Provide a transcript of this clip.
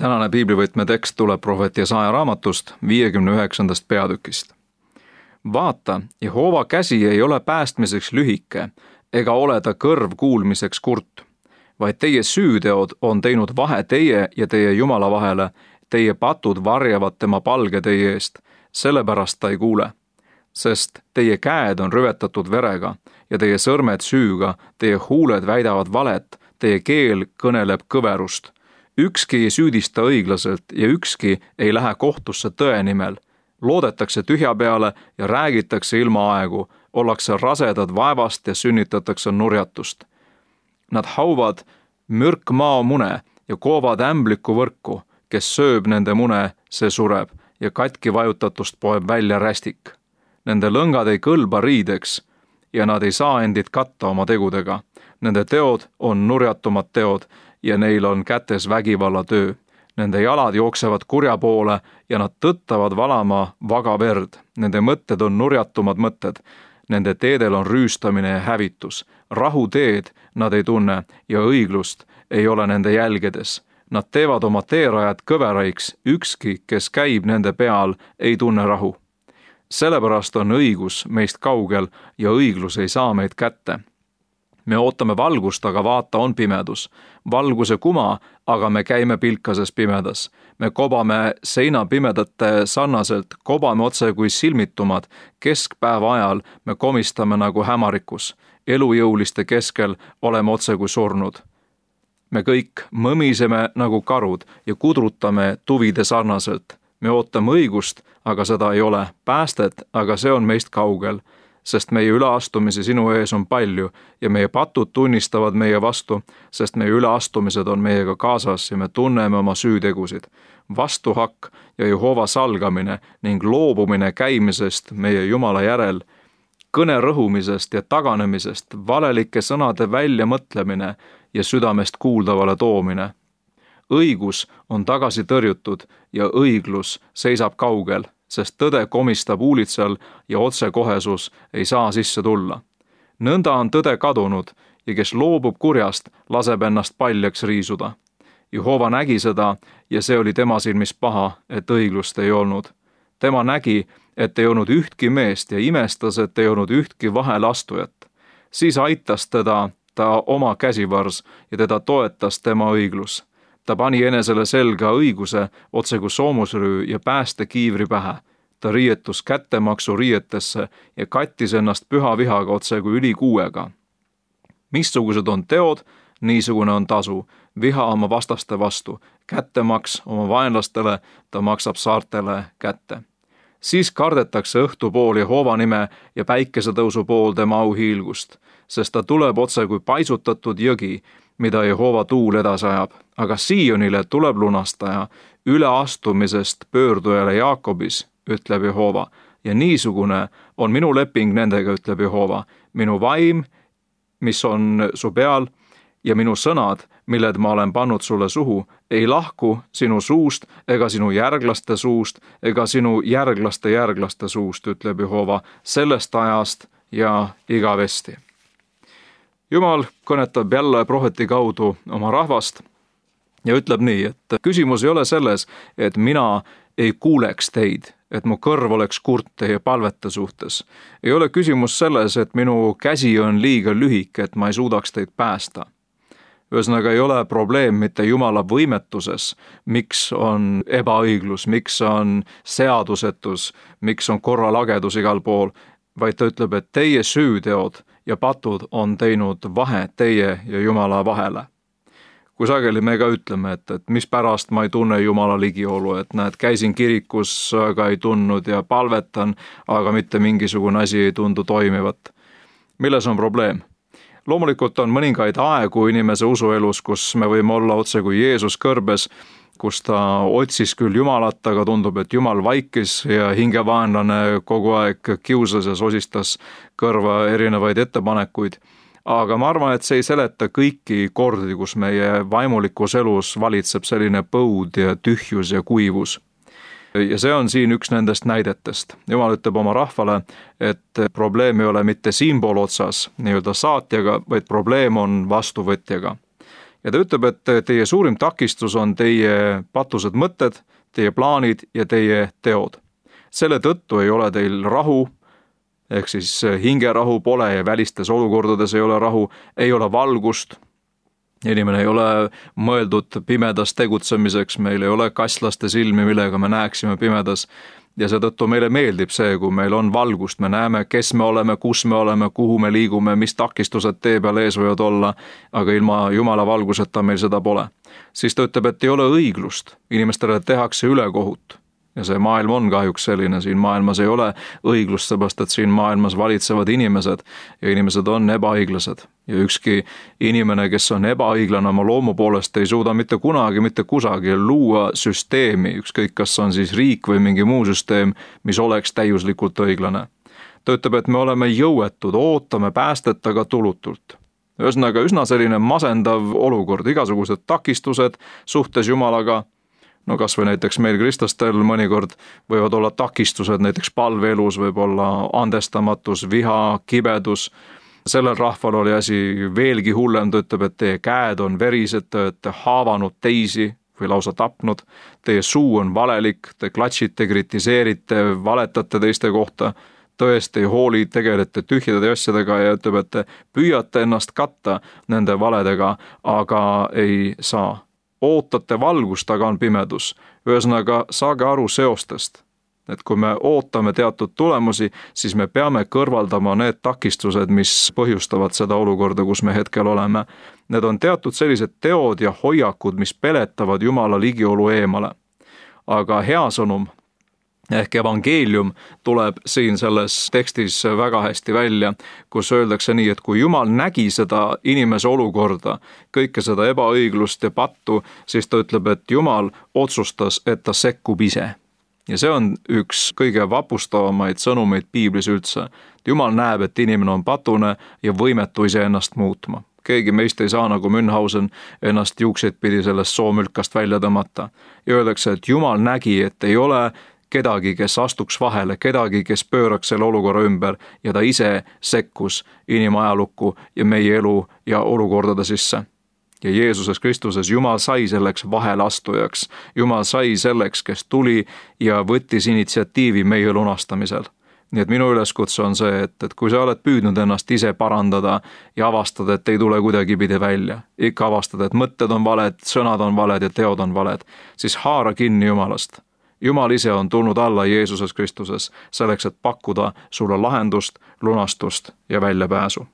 Tänane piiblivõtme tekst tuleb prohvet Jesaja raamatust 59. peatükist. Vaata, Jehova käsi ei ole päästmiseks lühike, ega ole ta kõrv kuulmiseks kurt, vaid teie süüteod on teinud vahe teie ja teie Jumala vahele, teie patud varjavad tema palge teie eest, sellepärast ta ei kuule. Sest teie käed on rüvetatud verega ja teie sõrmed süüga, teie huuled väidavad valet, teie keel kõneleb kõverust. Ükski ei süüdista õiglaselt ja ükski ei lähe kohtusse tõe nimel. Loodetakse tühja peale ja räägitakse ilma aegu, ollakse rasedad vaevast ja sünnitatakse nurjatust. Nad hauvad mürkmao mune ja koovad ämbliku võrku, kes sööb nende mune, see sureb ja katki vajutatust poeb välja rästik. Nende lõngad ei kõlba riideks ja nad ei saa endid katta oma tegudega. Nende teod on nurjatumad teod ja neil on kätes vägivallatöö. Nende jalad jooksevad kurja poole ja nad tõttavad valama vaga verd. Nende mõtted on nurjatumad mõtted. Nende teedel on rüüstamine ja hävitus. Rahu teed nad ei tunne ja õiglust ei ole nende jälgedes. Nad teevad oma teerajad kõveraiks, ükski, kes käib nende peal, ei tunne rahu. Sellepärast on õigus meist kaugel ja õiglus ei saa meid kätte. Me ootame valgust, aga vaata on pimedus. Valguse kuma, aga me käime pilkases pimedas. Me kobame seinapimedate sarnaselt, kobame otse kui silmitumad. Keskpäeva ajal me komistame nagu hämarikus. Elujõuliste keskel oleme otse kui surnud. Me kõik mõmiseme nagu karud ja kudrutame tuvide sarnaselt. Me ootame õigust, aga seda ei ole. Päästet, aga see on meist kaugel. Sest meie üleastumisi sinu ees on palju ja meie patud tunnistavad meie vastu, sest meie üleastumised on meiega kaasas ja me tunneme oma süütegusid. Vastuhakk ja Jehova salgamine ning loobumine käimisest meie Jumala järel, kõne rõhumisest ja taganemisest, valelike sõnade väljamõtlemine ja südamest kuuldavale toomine. Õigus on tagasi tõrjutud ja õiglus seisab kaugel, sest tõde komistab uulitsal ja otsekohesus ei saa sisse tulla. Nõnda on tõde kadunud ja kes loobub kurjast, laseb ennast paljaks riisuda. Jehova nägi seda ja see oli tema silmis paha, et õiglust ei olnud. Tema nägi, et ei olnud ühtki meest ja imestas, et ei olnud ühtki vahelastujat. Siis aitas teda oma käsivars ja teda toetas tema õiglus. Ta pani enesele selga õiguse otse kui soomusrüü ja pääste kiivri pähe. Ta riietus kättemaksu riietesse ja kattis ennast püha vihaga otse kui ülikuuega. Missugused on teod, niisugune on tasu, viha oma vastaste vastu, kättemaks oma vaenlastele, ta maksab saartele kätte. Siis kardetakse õhtupool Jehova nime ja päikesetõusu pool tema auhiilgust, sest ta tuleb otse kui paisutatud jõgi, mida Jehova tuul edasi ajab. Aga Siionile tuleb lunastaja, üleastumisest pöördujale Jaakobis, ütleb Jehova, ja niisugune on minu leping nendega, ütleb Jehova, minu vaim, mis on su peal, ja minu sõnad, milled ma olen pannud sulle suhu, ei lahku sinu suust ega sinu järglaste suust ega sinu järglaste suust, ütleb Jehova, sellest ajast ja igavesti. Jumal kõnetab jälle prohveti kaudu oma rahvast ja ütleb nii, et küsimus ei ole selles, et mina ei kuuleks teid, et mu kõrv oleks kurt teie palvete suhtes. Ei ole küsimus selles, et minu käsi on liiga lühike, et ma ei suudaks teid päästa. Ühesõnaga ei ole probleem mitte Jumala võimetuses, miks on ebaõiglus, miks on seadusetus, miks on korralagedus igal pool, vaid ta ütleb, et teie süüteod ja patud on teinud vahe teie ja Jumala vahele. Kui sageli me ka ütleme, et mispärast ma ei tunne Jumala ligiolu, et näed, käisin kirikus, aga ei tundnud ja palvetan, aga mitte mingisugune asi ei tundu toimivat. Milles on probleem? Loomulikult on mõningaid aegu inimese usuelus, kus me võime olla otse kui Jeesus kõrbes, kus ta otsis küll Jumalat, aga tundub, et Jumal vaikis ja hingevaenlane kogu aeg kiusas ja sosistas kõrva erinevaid ettepanekuid. Aga ma arvan, et see ei seleta kõiki kordi, kus meie vaimulikus elus valitseb selline põud ja tühjus ja kuivus. Ja see on siin üks nendest näidetest. Jumal ütleb oma rahvale, et probleem ei ole mitte siinpool otsas, nii-öelda saatjaga, vaid probleem on vastuvõtjaga. ja ta ütleb, et teie suurim takistus on teie patused mõtted, teie plaanid ja teie teod. Selle tõttu ei ole teil rahu, ehk siis hingerahu pole ja välistes olukordades ei ole rahu, ei ole valgust. Inimene ei ole mõeldud pimedas tegutsemiseks, meil ei ole kaslaste silmi, millega me näeksime pimedas. Ja seetõttu meile meeldib see, kui meil on valgust, me näeme, kes me oleme, kus me oleme, kuhu me liigume, mis takistused tee peal ees võivad olla, aga ilma Jumala valguseta meil seda pole. Siis ta ütleb, et ei ole õiglust, inimestele tehakse ülekohut. Ja see maailm on kahjuks selline, siin maailmas ei ole õiglust, seepärast et siin maailmas valitsevad inimesed ja inimesed on ebaõiglased. Ja ükski inimene, kes on ebaõiglane oma loomu poolest, ei suuda mitte kunagi, mitte kusagil luua süsteemi, ükskõik kas on siis riik või mingi muu süsteem, mis oleks täiuslikult õiglane. Ta ütleb, et me oleme jõuetud, ootame päästet, aga tulutult. Ühesõnaga üsna selline masendav olukord, igasugused takistused suhtes Jumalaga. No kas või näiteks meil kristlastel mõnikord võivad olla takistused, näiteks palveelus võib olla andestamatus, viha, kibedus. Sellel rahval oli asi veelgi hullem, ta ütleb, et teie käed on verised, te olete haavanud teisi või lausa tapnud. Teie suu on valelik, te klatšite, kritiseerite, valetate teiste kohta, tõesti ei hooli, tegelete tühjade asjadega ja ütleb, et te püüate ennast katta nende valedega, aga ei saa. Ootate valgust, aga on pimedus. Ühesõnaga, saage aru seostest. Et kui me ootame teatud tulemusi, siis me peame kõrvaldama need takistused, mis põhjustavad seda olukorda, kus me hetkel oleme. Need on teatud sellised teod ja hoiakud, mis peletavad Jumala ligiolu eemale. Aga hea sõnum ehk evangeelium tuleb siin selles tekstis väga hästi välja, kus öeldakse nii, et kui Jumal nägi seda inimese olukorda, kõike seda ebaõiglust ja pattu, siis ta ütleb, et Jumal otsustas, et ta sekkub ise. Ja see on üks kõige vapustavamaid sõnumeid piiblis üldse. Jumal näeb, et inimene on patune ja võimetu iseennast muutma. Keegi meist ei saa nagu Münchhausen ennast juukseid pidi sellest soomülkast välja tõmmata. Ja öeldakse, et Jumal nägi, et ei ole kedagi, kes astuks vahele, kedagi, kes pööraks selle olukorra ümber ja ta ise sekkus inimajalukku ja meie elu ja olukordade sisse. Ja Jeesuses Kristuses Jumal sai selleks vahelastujaks. Jumal sai selleks, kes tuli ja võttis initsiatiivi meie lunastamisel. Nii et minu üleskutse on see, et kui sa oled püüdnud ennast ise parandada ja avastada, et ei tule kuidagi pidi välja, ikka avastada, et mõtted on valed, sõnad on valed ja teod on valed, siis haara kinni Jumalast. Jumal ise on tulnud alla Jeesuses Kristuses selleks, et pakkuda sulle lahendust, lunastust ja väljapääsu.